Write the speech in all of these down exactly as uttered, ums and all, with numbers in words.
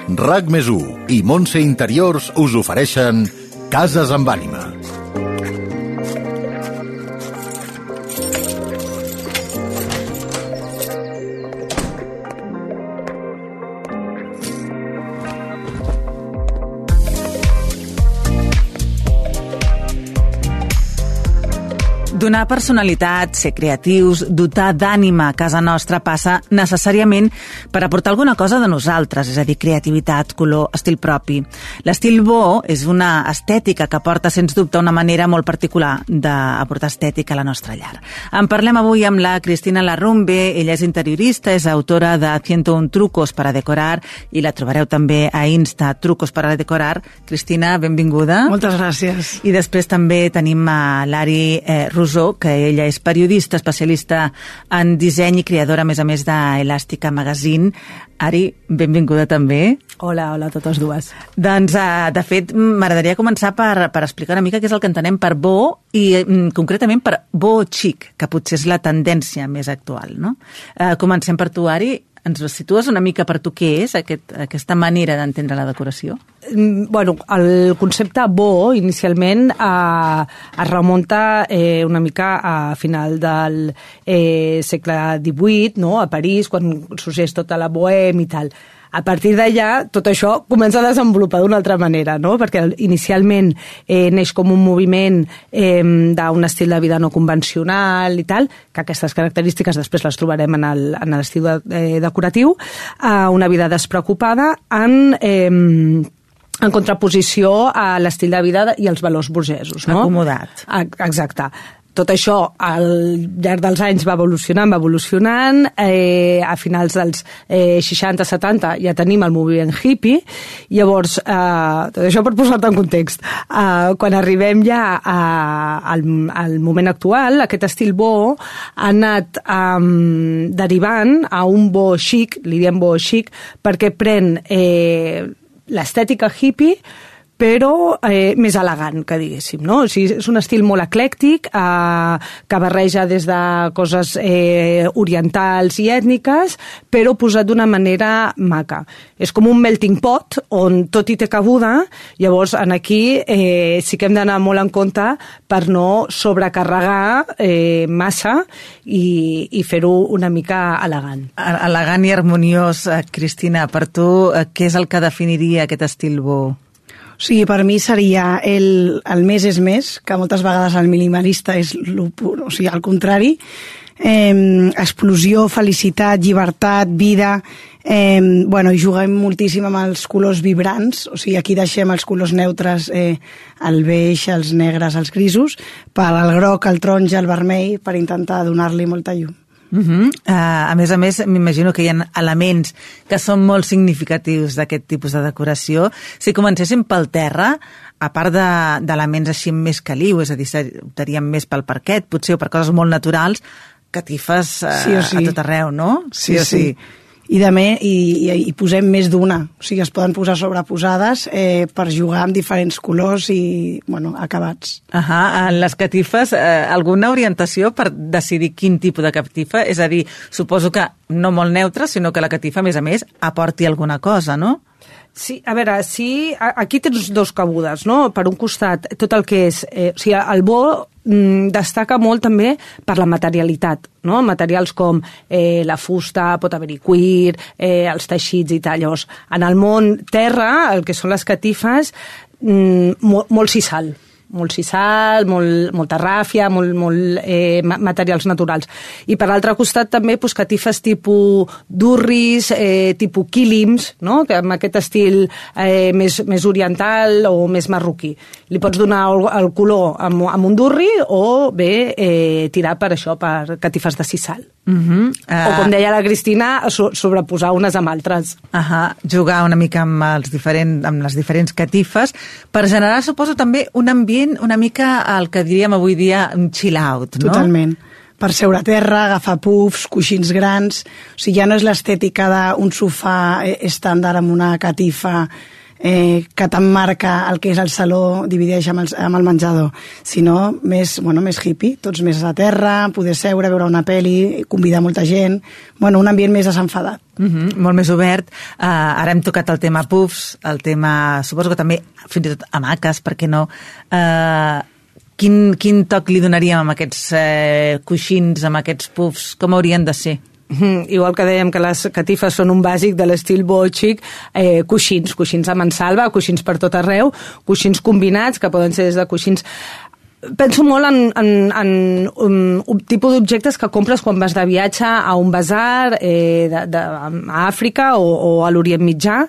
RAC més u i Montse Interiors us ofereixen Cases amb ànima. Donar personalitat, ser creatius, dotar d'ànima a casa nostra passa necessàriament per aportar alguna cosa de nosaltres, és a dir, creativitat, color, estil propi. L'estil bo és una estètica que porta, sens dubte, una manera molt particular d'aportar estètica a la nostra llar. En parlem avui amb la Cristina Larrumbe, ella és interiorista, és autora de ciento un trucos para decorar i la trobareu també a Insta, trucos para decorar. Cristina, benvinguda. Moltes gràcies. I després també tenim a l'Ari eh, Rosó, que ella és periodista, especialista en disseny i creadora, a més a més, d'Elàstica Magazine. Ari, benvinguda també. Hola, hola a totes dues. Doncs, uh, de fet, m'agradaria començar per, per explicar una mica què és el que entenem per bo i mm, concretament per bo chic, que potser és la tendència més actual, no? Uh, comencem per tu, Ari. Ens ho situes una mica per tu què és aquest, aquesta manera d'entendre la decoració? Bueno, el concepte bo, inicialment, eh, es remunta eh, una mica a final del eh, segle divuit, no? A París, quan sorgeix tota la bohème i tal. A partir d'allà, tot això comença a desenvolupar d'una altra manera, no? Perquè inicialment eh, neix com un moviment eh, d'un estil de vida no convencional i tal, que aquestes característiques després les trobarem en el, en l'estil de, eh, decoratiu, a una vida despreocupada en... Eh, en contraposició a l'estil de vida i els valors burgesos, no? Acomodat. Exacte. Tot això al llarg dels anys va evolucionant, va evolucionant, eh, a finals dels eh, seixanta setanta ja tenim el moviment hippie, llavors, eh, tot això per posar-te en context, eh, quan arribem ja a, al, al moment actual, aquest estil bo ha anat eh, derivant a un bo chic, li diem bo chic, perquè pren eh, l'estètica hippie, però eh, més elegant, que diguéssim, no? O sigui, és un estil molt eclèctic, eh, que barreja des de coses eh, orientals i ètniques, però posat d'una manera maca. És com un melting pot, on tot hi té cabuda, llavors en aquí eh, sí que hem d'anar molt en compte per no sobrecarregar eh, massa i, i fer-ho una mica elegant. Elegant i harmoniós, Cristina, per tu, què és el que definiria aquest estil bo? O sigui, per mi seria el, el més és més, que moltes vegades el minimalista és lo pur, o sigui, al contrari. Eh, explosió, felicitat, llibertat, vida... Eh, bueno, i juguem moltíssim amb els colors vibrants, o sigui, aquí deixem els colors neutres, eh, el beix, els negres, els grisos, per al groc, el taronja, el vermell, per intentar donar-li molta llum. Uh -huh. uh, a més a més, m'imagino que hi ha elements que són molt significatius d'aquest tipus de decoració. Si comencéssim pel terra, a part d'elements de, així més caliu, és a dir, optaríem més pel parquet, potser, o per coses molt naturals, catifes uh, sí o sí. a tot arreu, no? Sí, sí o sí. sí. I també i, i, i posem més d'una, o sigui, es poden posar sobreposades eh, per jugar amb diferents colors i, bueno, acabats. Ahà, en les catifes, eh, alguna orientació per decidir quin tipus de catifa? És a dir, suposo que no molt neutra, sinó que la catifa, a més a més, aporti alguna cosa, no? Sí, a veure, sí, aquí tens dos cabudes, no? Per un costat, tot el que és... Eh, o sigui, el bo mm, destaca molt també per la materialitat, no? Materials com eh, la fusta, pot haver-hi cuir, eh, els teixits i tal. Llavors, en el món terra, el que són les catifes, mm, molt, molt sisal. molt sisal, molt, molta ràfia, molt, molt eh, materials naturals. I per l'altre costat també pues, catifes tipus durris, eh, tipus quílims, no? Que amb aquest estil eh, més, més oriental o més marroquí. Li pots donar el, el color amb, amb un durri o bé eh, tirar per això, per catifes de sisal. Uh-huh. uh... O com deia la Cristina, so, sobreposar unes amb altres. Uh-huh. Jugar una mica amb, els diferent, amb les diferents catifes per generar, suposo, també un ambient una mica el que diríem avui dia un chill out, no? Totalment. Per seure a terra, agafar puffs, coixins grans... O sigui, ja no és l'estètica d'un sofà estàndard amb una catifa eh, que t'emmarca el que és el saló, divideix amb el, amb el menjador, sinó més, bueno, més hippie, tots més a terra, poder seure, veure una pel·li, convidar molta gent, bueno, un ambient més desenfadat. Mm-hmm, molt més obert. Uh, ara hem tocat el tema puffs, el tema, suposo que també fins i tot hamaques, per què no? Uh, quin, quin toc li donaríem amb aquests uh, coixins, amb aquests puffs? Com haurien de ser? Mm, igual que dèiem que les catifes són un bàsic de l'estil bòxic, eh, coixins, coixins a mansalva, coixins per tot arreu, coixins combinats, que poden ser des de coixins... Penso molt en, en, en un, un tipus d'objectes que compres quan vas de viatge a un basar eh, de, de, a Àfrica o, o a l'Orient Mitjà.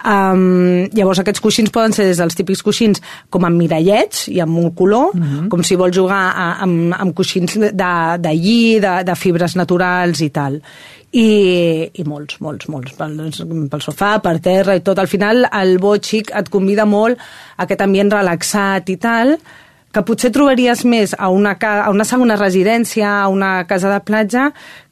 Um, llavors aquests coixins poden ser des dels típics coixins com amb mirallets i amb un color, mm-hmm. com si vols jugar a, amb, amb coixins de, de lli, de, de fibres naturals i tal. I, i molts, molts, molts, pel, pel sofà, per terra i tot. Al final el bòxic et convida molt a aquest ambient relaxat i tal, que potser trobaries més a una, a una segona residència, a una casa de platja,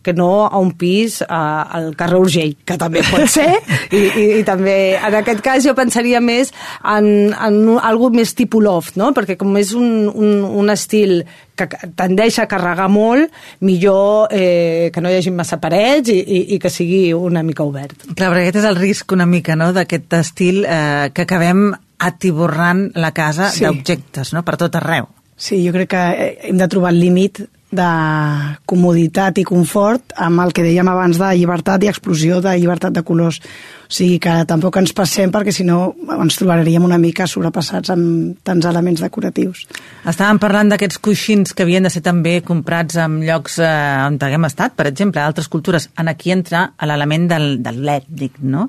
que no a un pis a, al carrer Urgell, que també pot ser, i, i, i també, en aquest cas jo pensaria més en, en algo més tipus loft, no? Perquè com és un, un, un estil que tendeix a carregar molt, millor eh, que no hi hagi massa parets i, i, i que sigui una mica obert. Clar, perquè aquest és el risc una mica, no?, d'aquest estil eh, que acabem atiborrant la casa sí. d'objectes, no?, per tot arreu. Sí, jo crec que hem de trobar el límit de comoditat i confort amb el que dèiem abans de llibertat i explosió de llibertat de colors. O sigui que tampoc ens passem perquè si no ens trobaríem una mica sobrepassats amb tants elements decoratius. Estàvem parlant d'aquests coixins que havien de ser també comprats en llocs eh, on haguem estat, per exemple, altres cultures. En aquí entra l'element del, del l'ètnic, no?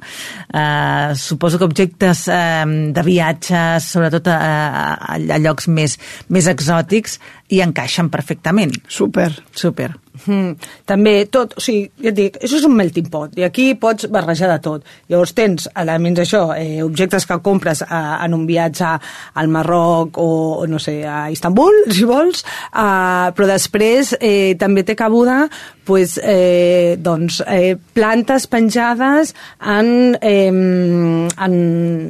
Eh, suposo que objectes eh, de viatges, sobretot a, a, a llocs més, més exòtics, hi encaixen perfectament. Super. Super. Mm, també tot, o sigui, ja et dic, això és un melting pot, i aquí pots barrejar de tot. Llavors tens elements això, eh, objectes que compres a, en un viatge al Marroc o, o no sé, a Istanbul, si vols, uh, però després eh, també té cabuda pues, eh, doncs, eh, plantes penjades en, eh, en,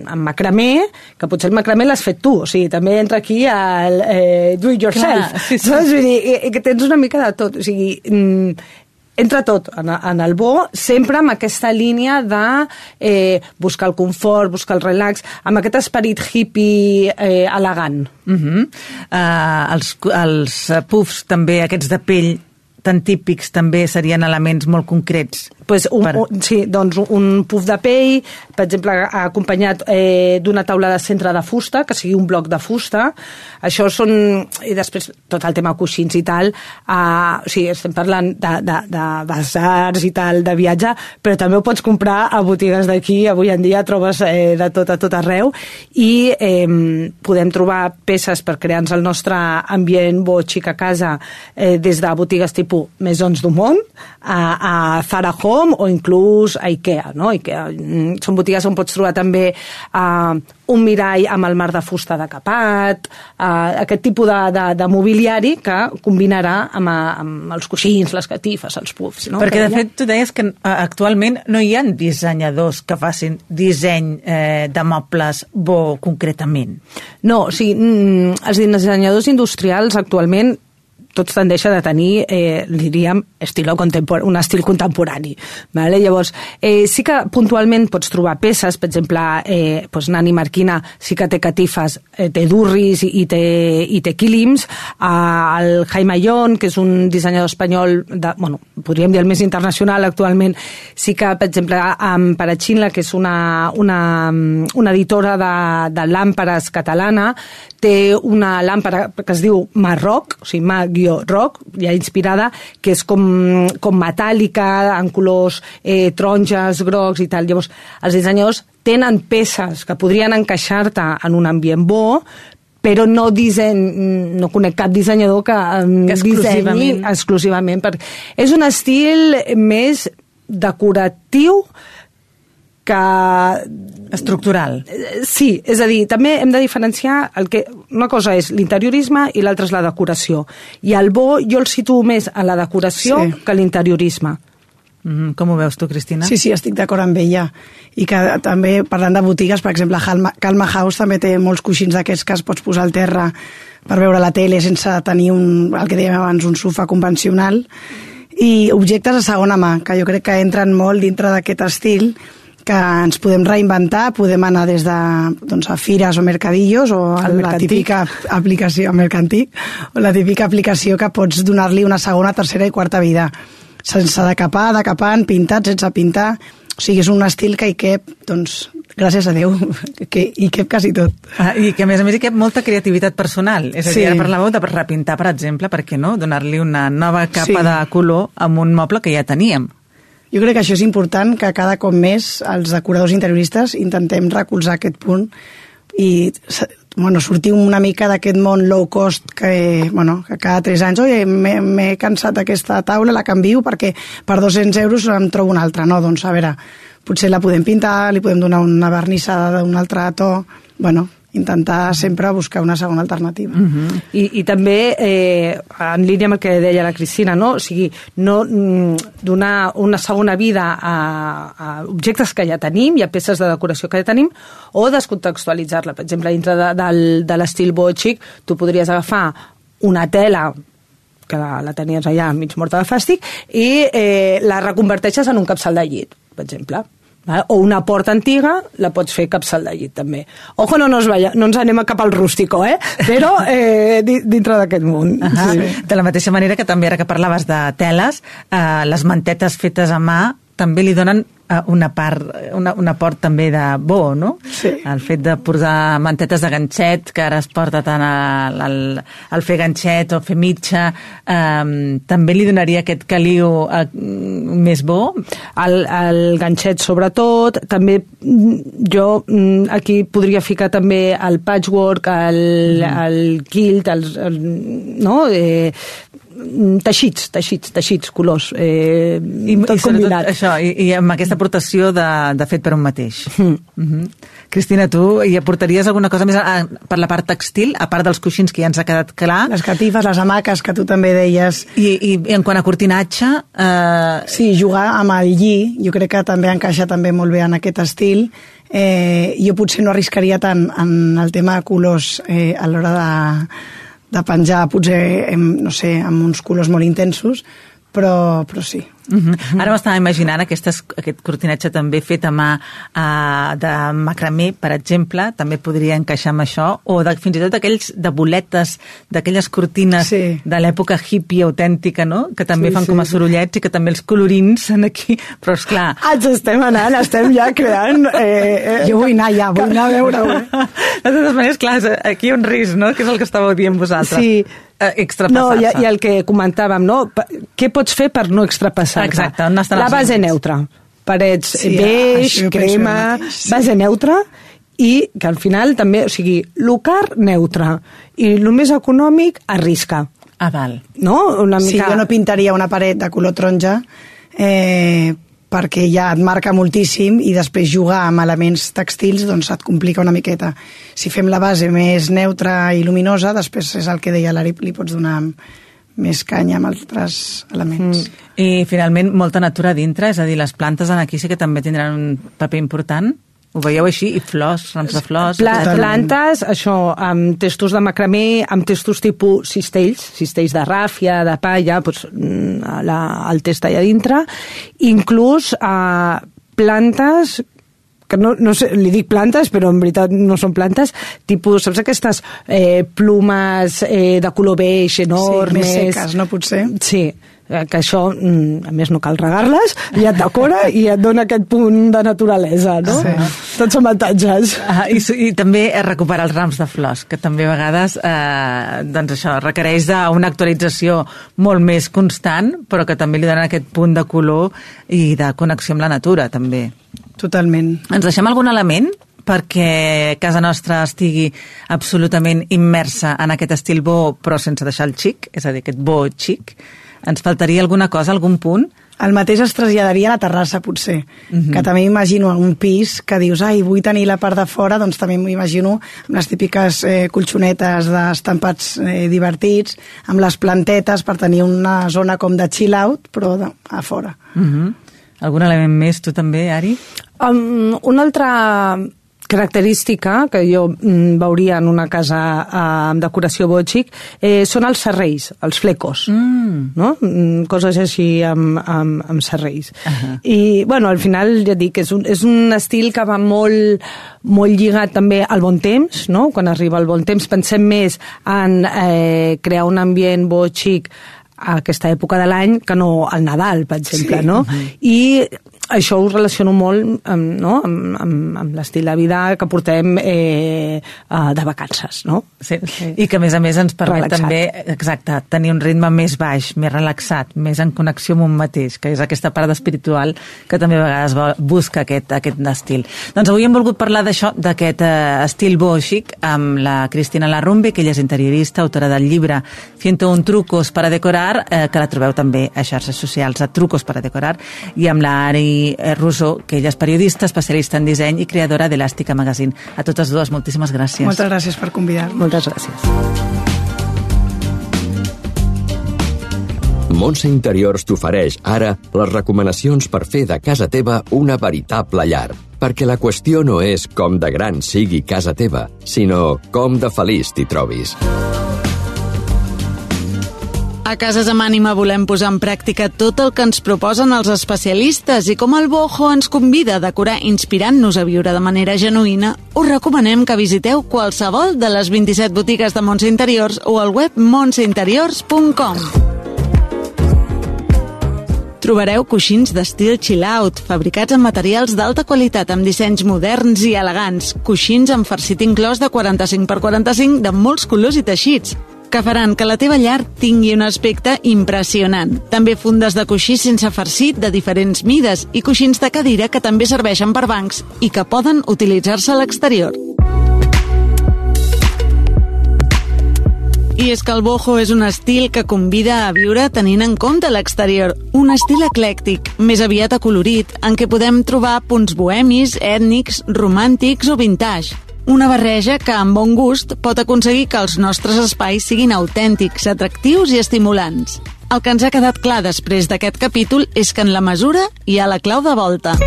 en macramé, que potser el macramé l'has fet tu, o sigui, també entra aquí el eh, do it yourself. Clar, sí, sí. Saps? Vull dir, que tens una mica de tot, o sigui, entra tot en, en el bo, sempre amb aquesta línia de eh, buscar el confort, buscar el relax, amb aquest esperit hippie eh, elegant. Uh-huh. uh, els, els puffs també, aquests de pell, tan típics, també serien elements molt concrets. Pues un, per... un, sí, doncs un puff de pell, per exemple, acompanyat eh, d'una taula de centre de fusta, que sigui un bloc de fusta. Això són... I després tot el tema coixins i tal. Eh, o sigui, estem parlant de, de, de basars i tal, de viatge, però també ho pots comprar a botigues d'aquí. Avui en dia trobes eh, de tot a tot arreu. I eh, podem trobar peces per crear-nos el nostre ambient bòxic a casa eh, des de botigues tipus Maisons du Monde, a, a Zara Home o inclús a Ikea, no? Ikea. Són botigues on pots trobar també uh, un mirall amb el mar de fusta decapat, uh, aquest tipus de, de, de mobiliari que combinarà amb, amb els coixins, les catifes, els puffs. No? Perquè, de fet, tu deies que actualment no hi ha dissenyadors que facin disseny eh, de mobles bo concretament. No, o sigui, els dissenyadors industrials actualment tots tendeixen a tenir, eh, diríem, estilo contempor- un estil contemporani. Vale? Llavors, eh, sí que puntualment pots trobar peces, per exemple, eh, pues Nani Marquina sí que té catifes, eh, té durris i, i, té, i té quilims. Eh, el Jaime Ayón, que és un dissenyador espanyol, de, bueno, podríem dir el més internacional actualment, sí que, per exemple, amb Parachinla, que és una, una, una editora de, de làmperes catalana, té una làmpara que es diu Marroc, o sigui, Mar-Roc, ja inspirada, que és com, com metàl·lica, en colors eh, taronges, grocs i tal. Llavors, els dissenyadors tenen peces que podrien encaixar-te en un ambient bo, però no disseny, no conec cap dissenyador que, que exclusivament. dissenyi exclusivament. Perquè és un estil més decoratiu que... estructural. Sí, és a dir, també hem de diferenciar el que... Una cosa és l'interiorisme i l'altra és la decoració. I el bo jo el situo més a la decoració sí. que a l'interiorisme. Mm, com ho veus tu, Cristina? Sí, sí, estic d'acord amb ella. I que també, parlant de botigues, per exemple, Calma, Calma House també té molts coixins d'aquests que es pots posar al terra per veure la tele sense tenir un, el que dèiem abans, un sofà convencional. I objectes de segona mà, que jo crec que entren molt dintre d'aquest estil, que ens podem reinventar, podem anar des de doncs, a fires o mercadillos o a la típica aplicació, mercantic, o la típica aplicació que pots donar-li una segona, tercera i quarta vida, sense decapar, decapant, pintat, sense pintar. O sigui, és un estil que hi cap, doncs, gràcies a Déu, que hi cap quasi tot. Ah, I que, a més a més, hi cap molta creativitat personal. És a dir, sí. Ara parlàveu de repintar, per exemple, per què no? Donar-li una nova capa sí. de color amb un moble que ja teníem. Jo crec que això és important, que cada cop més els decoradors interioristes intentem recolzar aquest punt i bueno, sortir una mica d'aquest món low cost que, bueno, que cada tres anys oi, m'he cansat d'aquesta taula, la canvio perquè per dos-cents euros em trobo una altra. No, doncs a veure, potser la podem pintar, li podem donar una vernissada d'un altre to, bueno, intentar sempre buscar una segona alternativa. Uh-huh. I, I també, eh, en línia amb el que deia la Cristina, no? O sigui, no mm, donar una segona vida a, a objectes que ja tenim i a peces de decoració que ja tenim, o descontextualitzar-la. Per exemple, dintre de, de, de l'estil boho-chic, tu podries agafar una tela que la, la tenies allà mig morta de fàstic i eh, la reconverteixes en un capçal de llit, per exemple. O una porta antiga la pots fer capçal de llit també. Ojo, no, nos vaya, no ens anem cap al rústico, eh? Però eh, dintre d'aquest món. Ah, sí. De la mateixa manera que també, ara que parlaves de teles, eh, les mantetes fetes a mà també li donen una part, una, una port també de bo, no? Sí. El fet de posar mantetes de ganxet, que ara es porta tant al, al, al fer ganxet o fer mitja, eh, també li donaria aquest caliu eh, més bo? El, el ganxet sobretot, també jo aquí podria ficar també el patchwork, el, mm. el quilt, el, el, no? Eh, teixits, teixits, teixits, colors, eh, I, tot i combinat. Això, i, i amb aquesta aportació de, de fet per un mateix. Mm. Mm-hmm. Cristina, tu hi aportaries alguna cosa més a, a, per la part textil, a part dels coixins que ja ens ha quedat clar? Les catifes, les hamaques, que tu també deies. I, i, i en quant a cortinatge? Eh... Sí, jugar amb el lli, jo crec que també encaixa també molt bé en aquest estil. Eh, jo potser no arriscaria tant en el tema de colors eh, a l'hora de de penjar, potser, no sé, amb uns colors molt intensos, però, però sí. Uh-huh. Ara m'estava imaginant aquestes, aquest cortinatge també fet a mà uh, de macramé, per exemple, també podria encaixar amb això, o de, fins i tot aquells de boletes, d'aquelles cortines sí. de l'època hippie autèntica, no? Que també sí, fan sí, com a sorollets i que també els colorins en aquí, però esclar... Ens estem anant, estem ja creant... Eh, eh, jo vull anar ja, vull anar a veure-ho. De totes maneres, clar, aquí hi ha un risc, no? Que és el que estàveu dient vosaltres. Sí. Extrapassar-se. No, i, i el que comentàvem, no? Què pots fer per no extrapassar-te? Exacte, on estan la base neutra. Parets sí, beix, crema, sí. base neutra, i que al final també, o sigui, lo car neutre i el més econòmic arrisca. Ah, val. No? Una mica... Sí, jo no pintaria una paret de color taronja eh, perquè ja et marca moltíssim i després jugar amb elements textils doncs et complica una miqueta. Si fem la base més neutra i luminosa, després és el que deia l'Ari, li pots donar més canya amb altres elements. Mm. I finalment molta natura dintre, és a dir, les plantes en aquí sí que també tindran un paper important. Ho veieu així? I flors, rams de flors... Pla plantes, això, amb testos de macramé, amb testos tipus cistells, cistells de ràfia, de palla, doncs, la, el test allà dintre, inclús eh, plantes que no, no sé, li dic plantes, però en veritat no són plantes, tipus, saps aquestes eh, plumes eh, de color beix enormes... Sí, més seques, no potser? Sí, que això, a més, no cal regar-les, i et decora i et dona aquest punt de naturalesa, no? Sí. Tots són avantatges. Ah, i, I també recuperar els rams de flors, que també a vegades eh, doncs això, requereix una actualització molt més constant, però que també li donen aquest punt de color i de connexió amb la natura, també. Totalment. Ens deixem algun element perquè casa nostra estigui absolutament immersa en aquest estil bo, però sense deixar el xic, és a dir, aquest bo xic? Ens faltaria alguna cosa, algun punt? El mateix es traslladaria a la terrassa, potser. Uh-huh. Que també m'imagino un pis que dius, ai, vull tenir la part de fora, doncs també m'imagino amb les típiques eh, colxonetes d'estampats eh, divertits, amb les plantetes per tenir una zona com de chill out, però de, a fora. Uh-huh. Algun element més, tu també, Ari? Um, una altra característica que jo mm, veuria en una casa eh, amb decoració bòxic eh, són els serrells, els flecos, mm. no? Mm, coses així amb, amb, amb serrells. Uh-huh. I, bueno, al final, ja dic, és un, és un estil que va molt, molt lligat també al bon temps, no? Quan arriba el bon temps pensem més en eh, crear un ambient bòxic a aquesta època de l'any que no al Nadal, per exemple, sí. no? Uh-huh. I això ho relaciono molt amb, no? amb, amb, amb l'estil de vida que portem eh, de vacances, no? Sí. I que, a més a més, ens permet relaxat. També, exacte, tenir un ritme més baix, més relaxat, més en connexió amb un mateix, que és aquesta part espiritual que també a vegades busca aquest, aquest estil. Doncs avui hem volgut parlar d'això, d'aquest eh, estil bòxic, amb la Cristina Larrumbe, que ella és interiorista, autora del llibre ciento un trucos para decorar, eh, que la trobeu també a xarxes socials, a Trucos para decorar, i amb la Ari Russo, que ella és periodista, especialista en disseny i creadora d'Elàstica Magazine. A totes dues, moltíssimes gràcies. Moltes gràcies per convidar-nos. Moltes gràcies. Montse Interiors t'ofereix ara les recomanacions per fer de casa teva una veritable llar. Perquè la qüestió no és com de gran sigui casa teva, sinó com de feliç t'hi trobis. A Cases amb Ànima volem posar en pràctica tot el que ens proposen els especialistes i com el Boho ens convida a decorar inspirant-nos a viure de manera genuïna, us recomanem que visiteu qualsevol de les vint-i-set botigues de Montse Interiors o al web montse interiors punt com. Trobareu coixins d'estil chill-out, fabricats amb materials d'alta qualitat, amb dissenys moderns i elegants, coixins amb farcit inclòs de quaranta-cinc per quaranta-cinc de molts colors i teixits, que faran que la teva llar tingui un aspecte impressionant. També fundes de coixí sense farcit de diferents mides i coixins de cadira que també serveixen per bancs i que poden utilitzar-se a l'exterior. I és que el boho és un estil que convida a viure tenint en compte l'exterior. Un estil eclèctic, més aviat acolorit, en què podem trobar punts bohemis, ètnics, romàntics o vintage. Una barreja que, amb bon gust, pot aconseguir que els nostres espais siguin autèntics, atractius i estimulants. El que ens ha quedat clar després d'aquest capítol és que en la mesura hi ha la clau de volta.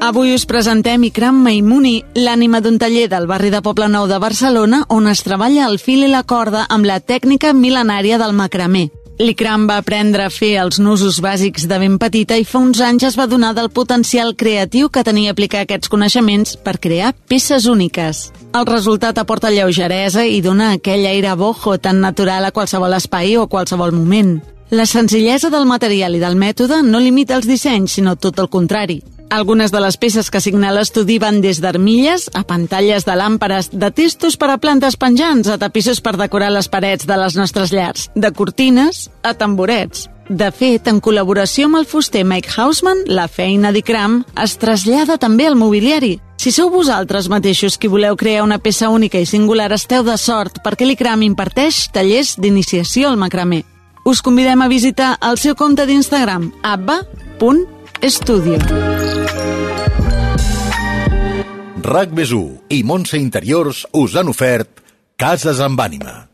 Avui us presentem Ikram Maimouni, l'ànima d'un taller del barri de Poblenou de Barcelona on es treballa el fil i la corda amb la tècnica mil·lenària del macramé. L'Ikram va aprendre a fer els nusos bàsics de ben petita i fa uns anys es va donar del potencial creatiu que tenia aplicar aquests coneixements per crear peces úniques. El resultat aporta lleugeresa i dona aquell aire boho tan natural a qualsevol espai o a qualsevol moment. La senzillesa del material i del mètode no limita els dissenys, sinó tot el contrari. Algunes de les peces que signa l'estudi van des d'armilles a pantalles de làmperes, de testos per a plantes penjants, a tapissos per decorar les parets de les nostres llars, de cortines a tamborets. De fet, en col·laboració amb el fuster Mike Hausman, la feina d'Ikram es trasllada també al mobiliari. Si sou vosaltres mateixos qui voleu crear una peça única i singular, esteu de sort, perquè l'Ikram imparteix tallers d'iniciació al macramé. Us convidem a visitar el seu compte d'Instagram, abba punt estudio. RAC més u i Montse Interiors us han ofert Cases amb Ànima.